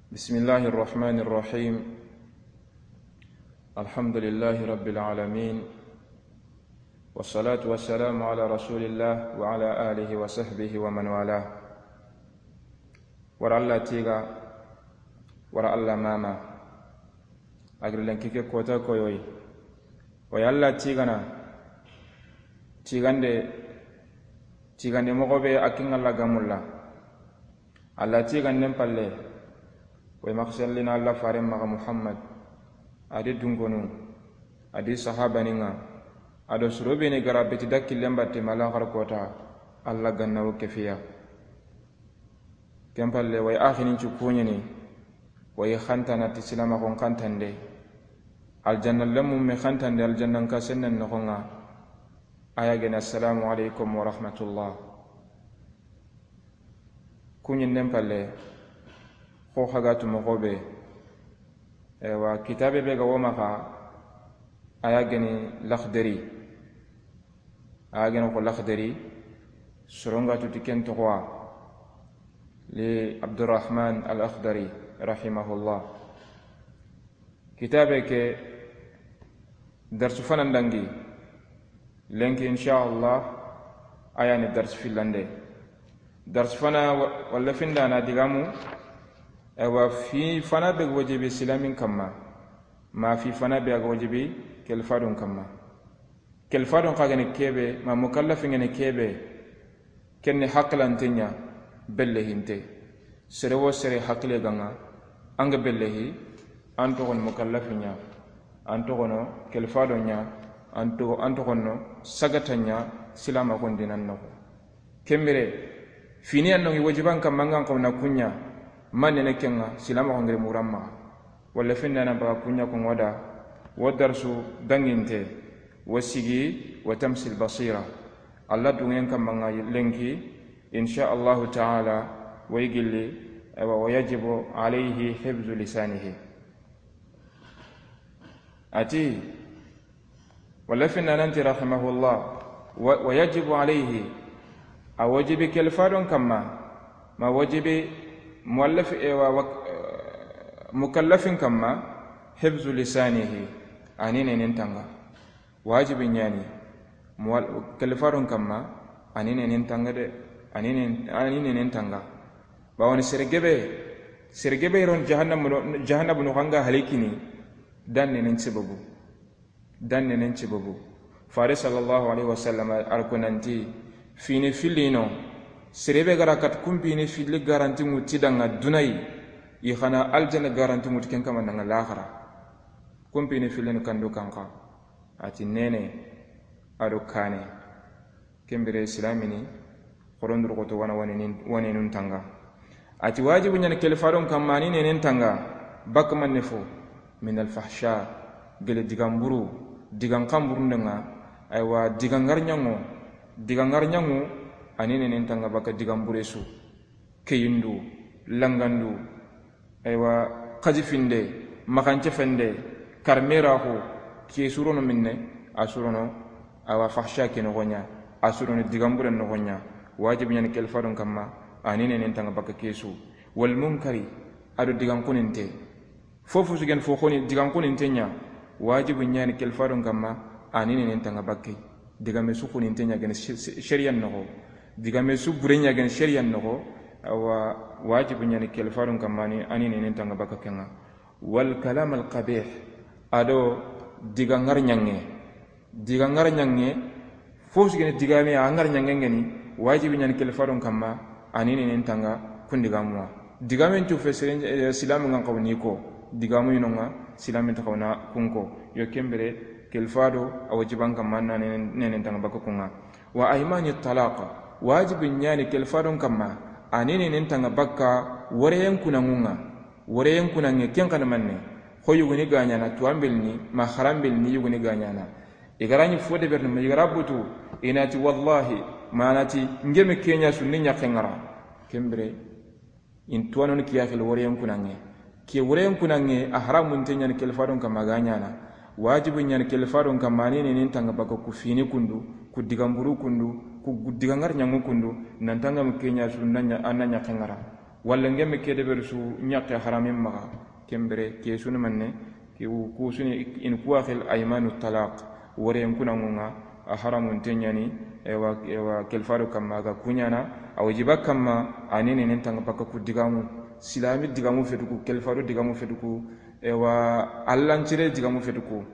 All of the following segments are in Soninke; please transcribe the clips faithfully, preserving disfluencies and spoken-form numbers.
بسم الله الرحمن الرحيم. الحمد لله رب العالمين. والصلاة والسلام على رسول الله وعلى آله وصحبه ومن والاه. Wara Alla tiga, wara Alla mama. A giri lenki ke kota koyoyi. Wa ya Alla tigana, tigande, tigande moxo be a kin Alla gamulla. Alla tiganden palle, way maxa sellina Alla faren maxa Muhammad, a di dunkonu, a di sahabaninga, a do soro be ni gara beti da killen batte ma laxar kota, Alla ganna wo kefiya. Ken palle, way axinin ci kuñini, way xantana ti silamaxon xantande, aljanna lemmu me xantande, aljannan ka sennen noxonga, a ya gene, assalamu alaikum wa rahmatullah. Kuñinnen palle, xo xagatu moxo be, ewa, kitabe be ga wo maxa, a ya gene Laxdari. A ya gene xo Laxdari, soronga tuti ken toxowa, li Abdurrahman al Akhdari, rahimahullah. Kitabe ke darsu fana ndangi, lenki, insha Allah, a ya ni darsu fillande. Darsu fana wa-, walla findana digamu, ewa, fi fana be wajibi silamin kamma, ma fi fana be ga wajibi kelfadun kamma. Kelfadun xa gene kebe, ma mukallafin gene kebe, kenne haqilanten ña, bellehinte. Sere wo sere haqile ganga, an ga bellehi, an toxono mukallafin ña, an toxono kelfadon ña, an to-, an toxono sagatan ña, silamaxon dinan noxo. Kembire, fini an nongi wajiban kamma ngan xawna kuña, manne ne kenga, silamaxon giri muramma. Walla finnana baga kuña ko ŋoda, wo darsu danginte, wo sigi, wo tamsil basira. Alla dungen kamma nga lenki, insha Allahu ta'ala, way gilli, ewa, wa yajibu alayhi hifzu lisanihi. Ati, walla finnananti rahimahullah, wa, wa yajibu alayhi, a wajibi kelfadon kamma, ma wajibi muallaf, ewa, wa, mukallafin kamma, hifzu lisanihi, ani nenen tanga. Wajibi ñani, mual-, kelfadon kamma, ani nenen tanga de, ani nen-, ani nenen tanga. Bawoni sere gebe, sere gebe ron jahannam no, jahannam no xanga halikini, dan nenen sababu. Dan nenen sababu. Fare sallallahu alaihi wasallam ar ko nanti, fini fillino, sere be gara kat kumpini filli garanti ŋuti danga dunai, i xana aljanna garanti ŋuti ken kama nanga laxara. Kumpini fillin kandu kanka. Ati nene, ado kane. Kembire silamini, xoronduru xoto wana wanenun tanga. Ati wajibu ñani kelfadon kamma ani nenen tanga, bak manne fo, min alfahsha, gele digamburu, digan kamburundenga, aywa, digangar ñango, digangar ñango, ani nenen tanga baka digambure su. Keyindu, langandu, aywa, xajifinde, maxancefende, karmeraxu, ke surono minne, a surono, awa, fahsha ke noxoña, a surono digamburen noxoña, wajibi ñani kelfadon kamma, ani nenen tanga baka kesu. Wal munkari, ado digan kuninte. Fofu sigen fo xoni digan kuninte ña, wajibu ñani kelfadon kamma, ani nenen tanga bakke. Digame su kuninte ña gene shariyan noxo. Digame su bure ña gene shariyan noxo. Awa, wajibu ñani kelfadon kamma ani, ani nenen tanga bakka kenga. Wal kalam al qabih, ado diga ngar ñange. Diga ngar ñange, fo sigene digame a ngar ñange ngeni, wajibi ñani kelfadon kamma, ani nenen tanga kun digamuwa. Digamen cu fe seren, eh, silamu ngan xawni ko, digamu inonga, silamin ta xawna kunko. Yo kembire, kelfado, a wajiban kamma na nenen, nenen tanga bakka kunga. Wa aymani talaq, wajibi ñani kelfadon kamma, ani nenen tanga bakka, wareyen kunangunga. Wareyen kunange ken xana manne, xo yuguni gañana, tuwambelni, ma xarambelni yuguni gañana. I garani fo deberni, ma i gara butu, inati wallahi, manati, ngeme kenya sunni ñaxe ngara. Kembire, in tuwanoni kiyaxil wareyen kunange. Ke wareyen kunange, a haramunte ñani kelfadon kamma ga ñana. Wajibu ñani kelfadon kamma, ani nenen tanga bakka ku fini kundu, ku digamburu kundu, ku gu-, digangar ñangu kundu, nan tanga mu kenya sunna ña, anna ñaxe ngara. Walla ngemme ke deberi su ɲaxe haramin maxa, ken bire ke su ni manne, ke wu-, ku su ni in kuwa xil aymanu talaq, wore n kuna ŋunga, a haramun te ɲani, ewa, ewa, kelfado kamma ga kuɲana, a wajiba kamma, a ni nenen tanga baka ku digamu, silami digamu fetuku, kelfado digamu fetuku, ewa, allancire digamu fetuku.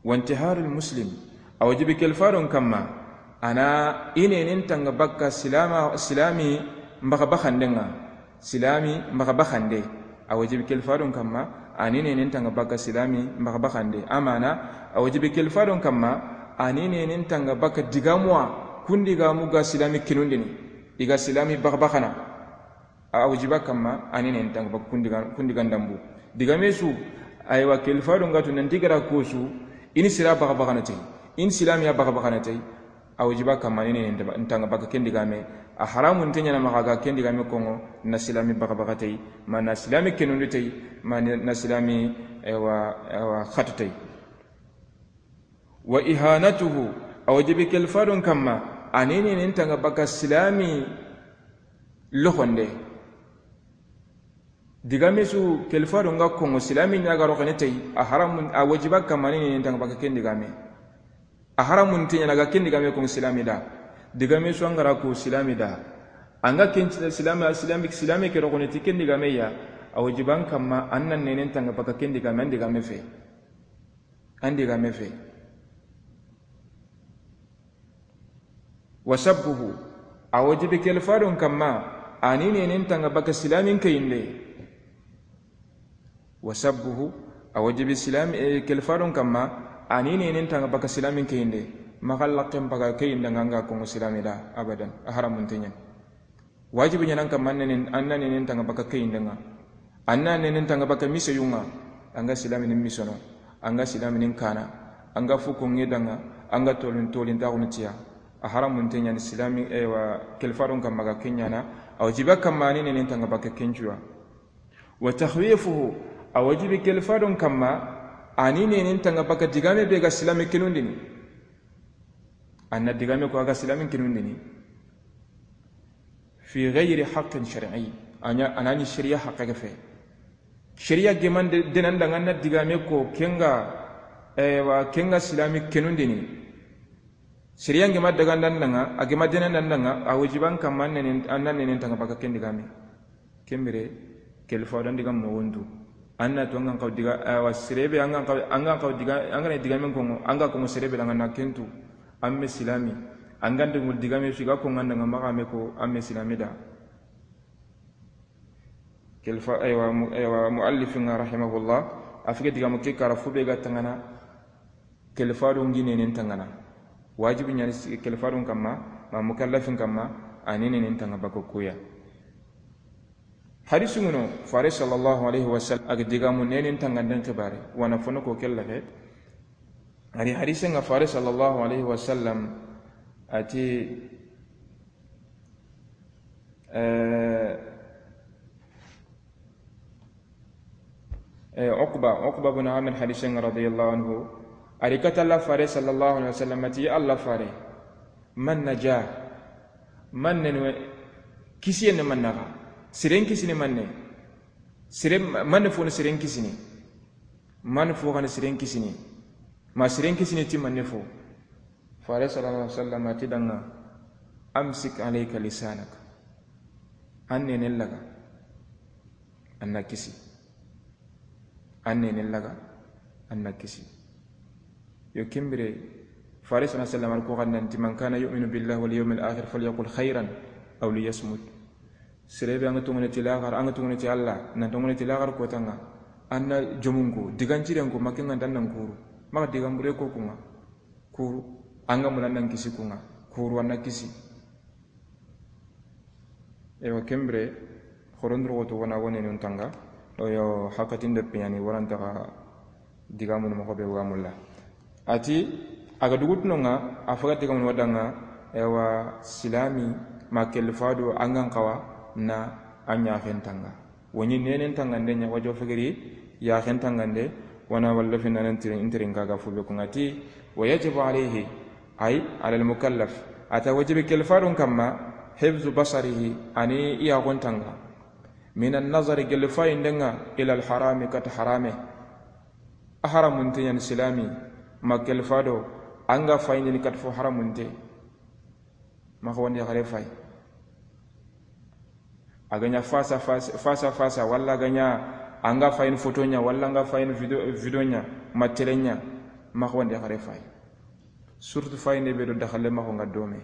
Wantiharul muslim, a wajibi kelfadon kamma, ana inenen tanga bakka silama, silami mbaga bakandenga, silami mbaga bakande, a wajibi kelfadon kamma, ani nenen tanga bakka silami mbaga bakande, amana, a wajibi kelfadon kamma, ani nenen tanga bakka digamuwa, kundigamu ga silami kinundini, iga silami baga bakana. A wajiba kamma, ani nen tanga baka kundiga, kundiga ndambu. Digame su, aywa, kelfado ngatu nanti gara ko su, ini sira baga baga na tay, in silamiya baga baga na tay. A wajiba kamma, ani nen tanga baka kendigame. A haramun te ɲana maxa ga kendigame kongo, na silami baga baga tay, ma na silami kenundi tay, ma na silami, aywa, aywa, khatu tay. Wa ihanatuhu, a wajibi kelfadon kamma, ani nenen tanga baka silami loxonde. Digame su kelfado nga kongo silami ɲaga roxene tay, a haramun, a wajiba kamma ani nenen tanga baka kendigame. A haramun te ɲana ga kendigame kongo silami da. Digame su angara ko silami da. Anga ken silami, silami, silami ke roxone ti kendigame ya. A wajiban kamma, an nan nenen tanga baka kendigame, an digame fe. An digame fe. Wa sabbuhu, a wajibi kelfadon kamma, ani nenen tanga baka silamin kayinde. Wa sabbuhu, a wajibi silami, eh, kelfadon kamma, ani nenen tanga baka silamin kayinde. Maxa lakken baga kayinde nga, anga kongo silami da, abadan, a haramun te ɲana. Wajibi ɲanan kamma, an nenen, an na nenen tanga baka kayindenga. An na nenen tanga baka miseyunga. Anga silaminin misono. Anga silaminin kana. Anga fuko ngedanga. Anga tolin, tolin taxunu tiya. A haramun te ɲani silami, ewa, kelfadon kamma ga kenyana. A wajiba kamma ani nenen tanga baka kencuya. Wa takhwifuhu, a wajibi kelfadon kamma, ani nenen tanga baka digame be ga silami kinundini. Anna digame ko aga silamin kinundini. Fi ghayri haqqin shar'i. Anya, anani sharia haqqa ga fe. Sharia geman de, denan danga anna digame ko kenga, ewa, kenga silami kinundini. Sharia ngema daga ndandanga, a gema denan ndandanga, a wajiban kamma nenen, anna nenen tanga baka kendigame. Kembire, kelfado ndiga mogontu. Anna to angan kaw diga, awa, sirebe angan kaw, angan kaw diga, angana digamen kongo, anga kongo sirebe danga na kentu. Amme silami. Angan de ngol digame su ga kongo ndanga maxa me ko amme silami da. Kelfa, aywa, mu-, aywa, muallifin rahimahullah, a fige digamu ke kara fu be ga tangana. Kelfado ngi nenen tangana. Wajibi ɲani si-, kelfadon kamma, ma mukallafin kamma, ani nenen tanga baka kuya. Hadisu ngono, fare sallallahu alaihi wasallam, aga digamu nenen tanganden xibare, wana fono ko kellaxe. Ari hadise nga fare sallallahu alaihi wasallam, ati, eh, Eh, Uqba, Uqba bin Amir hadisen nga radiyallahu anhu. Ari kata Allah fare sallallahu alaihi wasallam, ati Allah fare. Man naja? Man ne kisiye ne man naga? Siren kisini man ne? Siren, man ne fo ne siren kisini? Man fo gane siren kisini? Ma siren kisini ti man ne fo? Fare sallallahu alaihi wasallam ati danga, "Amsik alayka lisanak." An nenen laga. An na kisi. An nenen laga. An na kisi. Yo kembire, fare sallallahu alaihi wasallam ko ganna ti, "Man kana yu'minu billahi wal yawmil akhir falyaqul khairan aw liyasmut." Serebe anga tongone ti lagar, anga tongone ti Allah, nan tongone ti lagar ko tanga. Anna jomunko, digancirenko, makenga dan nan kuru. Maka digambure ko kunga. Kuru, anga mula nan kisi kunga. Kuru anna kisi. Ewa kembire, xorondoro woto wana wone nun tanga. Oyo hakatin de piani waranta ga digamunu moxo be wamulla. Ati, aga dugutunonga, a faga digamunu wadanga, ewa silami, ma kelfado angan kawa, na anya xentanga. Woni nenen tangande ɲa wajo fegeri, yaxen tangande, wana walla finanan tirin, intirin kaga fube kungati, wa yajibu alayhi, ay, ala al mukallaf, ata wajibi kelfadun kamma, hifzu basarihi, ani iyaxon tanga, Min an-nazari, gelli fayinden ŋa, ila al-harami, kata harame. A haramunte ɲa ni silami, ma kelfa do, an ga fayindini kata fo haramunte. Maxa wandi yaxare fayi. A ga ɲa face à face, face à face, walla a ga ɲa an ga fayini photo ɲa, walla an ga fayini video, video ɲa, ma tele ɲa, maxa wandi yaxare fayi. Surtout fayinde be do daxalle maxa ŋa dome.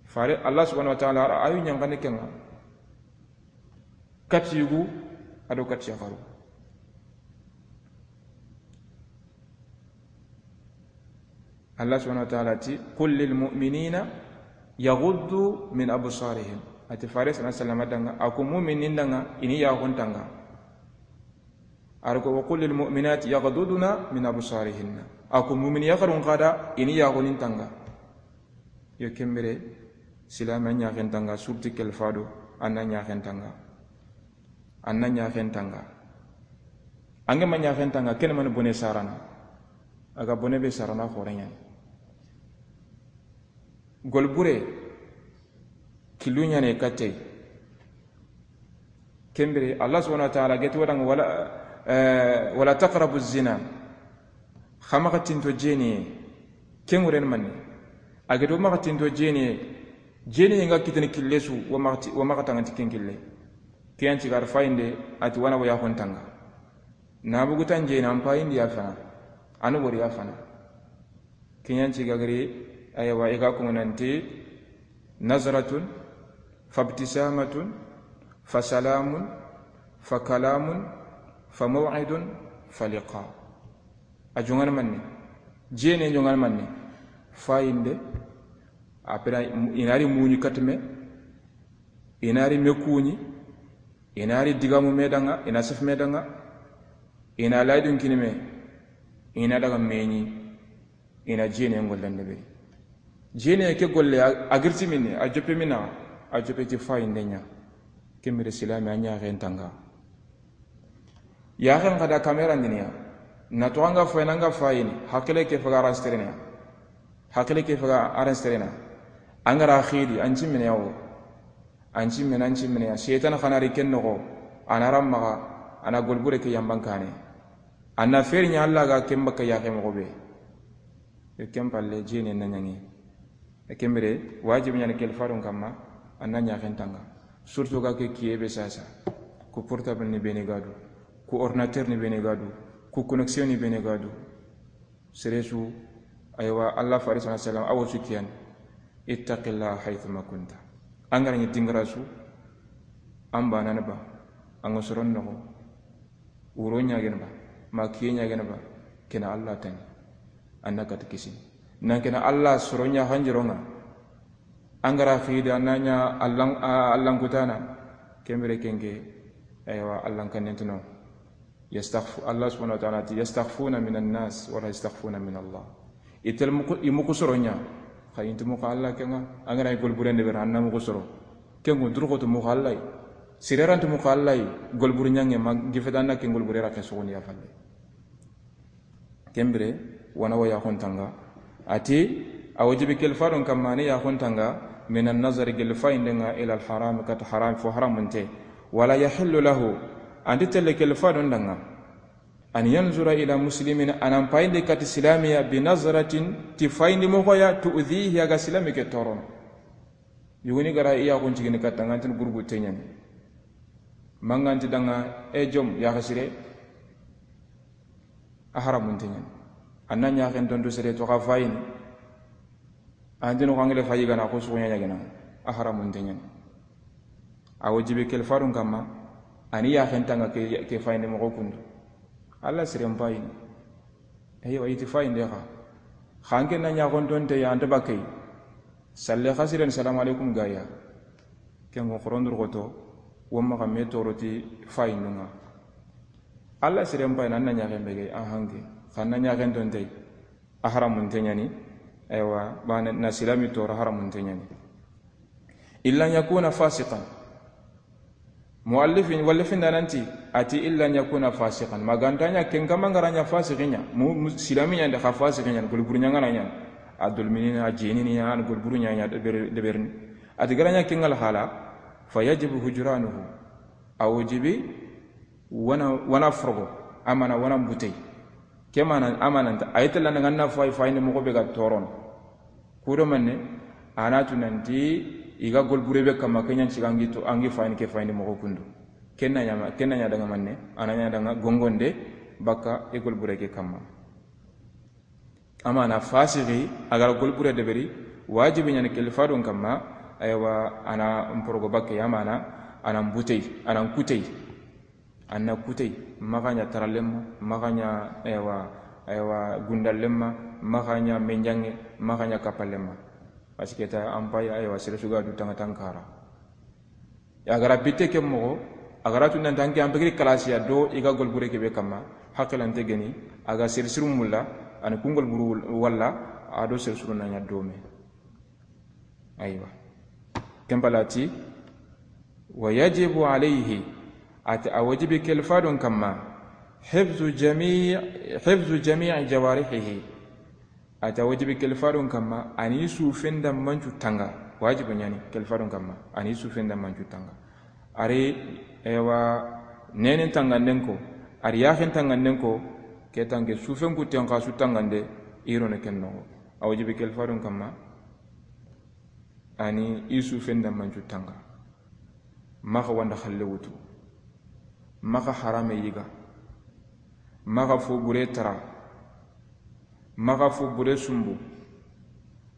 Fare Allah subhanahu wa ta'ala a ra ayu ɲankani ke ŋa. Kati yugu, a do kati yaxaru. Allah subhanahu wa ta'ala ti, "Qul lil mu'minina yaghuddu min absarihim." A ti fare sallallahu alayhi wasallam da ŋa, a ko mu'minin da ŋa, i ni yaxun tanga. A ra ko, "Wa qul lil mu'minati yaghdudna min absarihinna." A ko mu'min yaxarun xa da, i ni yaxunin tanga. Yo ken bire, silame a ɲaxen tanga, surtout kelfa do, a na ɲaxen tanga. A na ɲaxen tanga. An ga ma ɲaxen tanga, ken mani bone sarana. A ga bone be sarana xore ɲa ni. Golbure, kilu ɲa ni katey. Ken bire, Allah subhanahu wa ta'ala geti wa da ŋa, "Wala, eh, wala taqrabu zina." Xa maxa tinto jeniye. Ken ŋuren manne. A geti wa maxa tinto jeniye. Jeniye ŋa kitini kille su, wa maxa ti-, wa maxa tanganti ken kille. Ke yan ti gar fayinde, a ti wa na wa yaxun tanga. Na bugu tan jeni an payindi ya fana. An wori ya fana. Ke yan ti gagari, aywa, i ga ko nanti, "Nazratun, fabtisamatun, fasalamun, fakalamun, famaw'idun, faliqa." A joŋan manne. Jene joŋan manne. Fayinde. Après, i na ri muɲi katme. I na ri me kuɲi. I na ri digamu me da ŋa, i na sef me da ŋa. I na laydun kini me. I na daga meɲi. I na jene ŋollen deberi. Jene ke golle a, a girti minne, a joppe mina, a joppe ti fayinde ɲa. Ken bire silame a ɲaxen tanga. Yaxen xa da kamera ndiniya. Na to an ga fayini, an ga fayini, hakile ke faga aranstrena. Hakile ke faga aranstrena. An ga ra xidi, an cimmene yawo. An cimmene, an cimmene ya. Setan xa na ri ken noxo, a na ran maxa, a na golbure ke yamban kane. A na feri ɲa Allah ga ken baka yaxe moxo be. Yo ken palle jene na ɲaŋi. E ken bire, wajibi ɲa ni kelfa do n kamma, a na ɲaxen tanga. Surtout ga ke kiye be sasa. Ku portable ni bene ga du, ku ordinateur ni bene ga du, ku connexion ni bene ga du. Sere su, aywa, Allah fare sallallahu alayhi wasallam, a wo su kiyan. Ittaqillaha haythuma kunta. An ga ra ɲi dingara su, an ba nan ba, an ga soron noxo. Wuro ɲagen ba, ma kiye ɲagen ba, kena Allah tani. An na kati kisini. Nan kena Allah soro ɲa hanjironga. An ga ra xidi, an na ɲa Allan, a, Allan kutana. Ken bire ken ke, aywa, Allan kannen tano. Yastakhfu-, Allah subhanahu wa ta'ala ti, "Yastakhfuna minan nas, wala yastakhfuna min Allah." I tel muku, i muku soro ɲa. Xa i nti muku Allah ke ŋa. An ga ra golburen deberi, an na muku soro. Ken ŋo durxoto muku Allah yi. Sire ra nti muku Allah yi. Golburu ɲaŋe ma gifeta na ken golbure ra ke sogoni ya falle. Ken bire, wa na wa yaxun tanga. A ti, a wajibi kelfa do n kamma ni yaxun tanga, minan nazari, gelli fayinde ŋa, ila al-haram, kata haram, fo haramunte. Wala yahillu lahu, a nti telle kelfa do n da ŋa, an yanzura ila muslimin, a nan fayindi kati silamiya, bi nazratin, ti fayindi moxo ya, tu'dhihi, a ga silami ke torono. Yuguni ga ra i yaxun cigini katta ŋa, an ti ni gurgu teɲani. Ma ŋa an ti da ŋa, e jom, yaxa sire. A haramunte ɲa ni. A na ɲaxen tontu sere to xa fayini. An ti no xa ngile fayi ga na ko su ɲa ɲa gena. A haramunte ɲa ni. A wajibi kelfa do n kamma, a ni yaxen tanga ke, ke fayinde moxo kundu. Allah siren payini. Eywa, i ti fayinde xa. Xa an ke na ɲaxon tonte ya, an ta bakay. Salle xa siren, salamu alaikum ga ya. Ken ŋo xoron durxoto, wo maxa me toro ti fayindu ŋa. Allah siren payini, an na ɲaxen be gay, an hanke. Xa na ɲaxen tonte, a haramunte ɲa ni. Eywa, ba na, na silami toro, haramunte ɲa ni. Illa an yakuna fasiqan. Muallifin, wallifin da nanti, a ti illa an yakuna fasiqan. Ma ga nta ɲa ken kamma, n ga ra ɲa fasiqi ɲa. Mu, mu, silami ɲa nde xa fasiqi ɲa, golburu ɲa ŋa na ɲa. A dolminina, a jenini ya, an golburu ɲa ɲa, deber-, deberini. A ti ga ra ɲa ken ŋa la hala, Fa yajibu hujranuhu. A wajibi wana, wana forogo, amana wana mbutey. Ke mana, amana nta, a yi tella na ŋa na fay, fayini moxo be ga toron. Kudo manne, a na tu nanti i ga gol bure be kamma, ke ɲan ciga an gi to, an gi fayini ke fayini moxo kundu. Ken na ɲa ma, ken na ɲa daga manne, a na ɲa daga gongonde, baka i gol bure ke kamma. Amana fasigi, a ga ra gol bure deberi, wajibi ɲani kelifadon kamma, aywa, a na mporogo bakke, amana, a na mbutey, a na nkutey. A na kutey, maxa ɲa taralenma, maxa ɲa, aywa, aywa, gundallenma, maxa ɲa menjange, maxa ɲa kappalenma. Parce que ta an pay, aywa, sere su ga du tanga tankara. A ga ra bitte ke moxo, a ga ra tu nanti an ke an pegiri kalasiya do i ga gol bure ke be kamma, hakkilante geni, a ga sere siru mulla, a ni kun gol buru walla, a do sere siru na ɲa dome. Aywa. Ken palati, wa yajibu alayhi, a ti a wajibi kelifadon kamma, hifzu jami', hifzu jami'i jawarihihi. A ti a wajibi kelifadon kamma, a ni sufen da mancu tanga. Wajibi ɲani kelifadon kamma, a ni sufen da mancu tanga. A ri, ewa, nenen tanganden ko, a ri yaxen tanganden ko, ke tanke sufen kutten xa su tangande, i ro ne ken noxo. A wajibi kelifadon kamma, a ni i sufen da mancu tanga. Maxa wanda xalle wutu. Maxa harame yiga. Maxa fo bure tara. Maxa fo bure sumbu.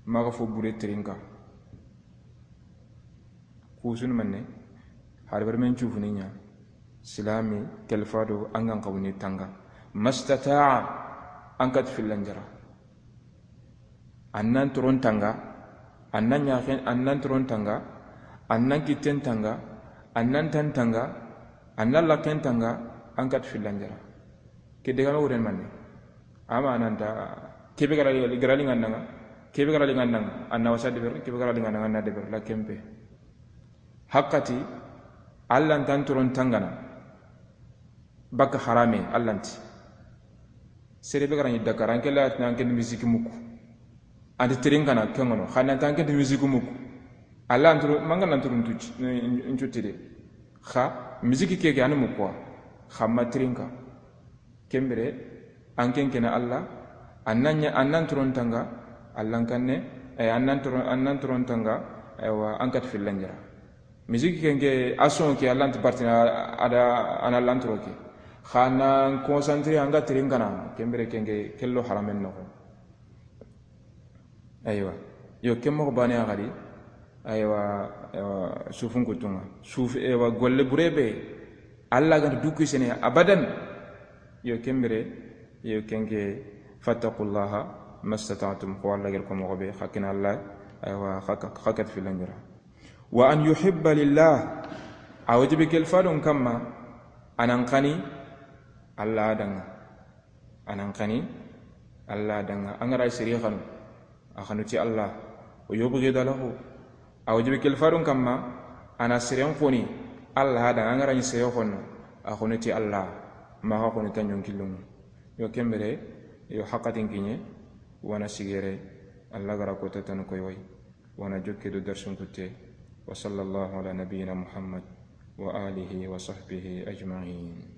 Maxa fo bure tirinka. Kusun manne, har bar men cufuni ɲa, silami kelifado an gan xawni tanga. Mastata'a, an kat fillan jara. An nan toron tanga, an nan ɲaxen, an nan toron tanga, an nan kitten tanga, an nan tan tanga, an nan lakken tanga, an kat fillan jara. Ke degame wuren manne. Ama nanta, kebe gara, gara lingandanga, kebe gara lingandanga, an na wasa deber, kebe gara lingandanga, an na deber, la kempe. Hakkati, Alla ntan toron tangana. Baka harame, Alla nti. Sere be gara ni Dakar, an ke la, an ke misiki muku. An ti tirinkana, kengono, xana ntan ke misiki muku. Alla antoro, manga nan toron tuci, ncutide. Xa, misiki keke, an muku wa. Xa ma tirinka. Kembere, an ken kene Alla, an nan ɲa, an nan toron tanga, Alla kanne, eh, an nan toron, an nan toron tanga, aywa, an kat fillan jara. Misiki kenke, a son ke, Alla nti partina, a da, an Alla ntoro ke. Xa nan concentré, an ga tirin kana, kembere kenke, kello haramen noxo. Aywa. Yo, ken moxo bane a xadi. Aywa, aywa, sufun kutunga. Suf, aywa, golle burebe. Alla ga nta duku sene abadan. Yo, kembere, yo, kenke, fattaqullaha mastata'tum. Ko Alla ger ko moxo be, xakina Alla, aywa, xaka, xakat filangira. Wa an yuhibba lillah. A wajibi kelfadon kamma, anan kani Alla danga. Anan kani Alla danga. An ga ra sere xanu, a xanu ti Alla. Wa yubghida lahu. A wajibi kelfadon kamma, ana seren xoni Alla danga. An ga ra ni sere xonu, a xonu ti Alla. Ma xa xonu ta ɲon killungu. Yo kembere, yo hakatin kiɲe, wana sigere, Alla ga ra ko tatanu koyoy. Wana jokke do darsun kutte. Wa sallallahu ala nabiyyina Muhammad wa alihi wa sahbihi ajma'in.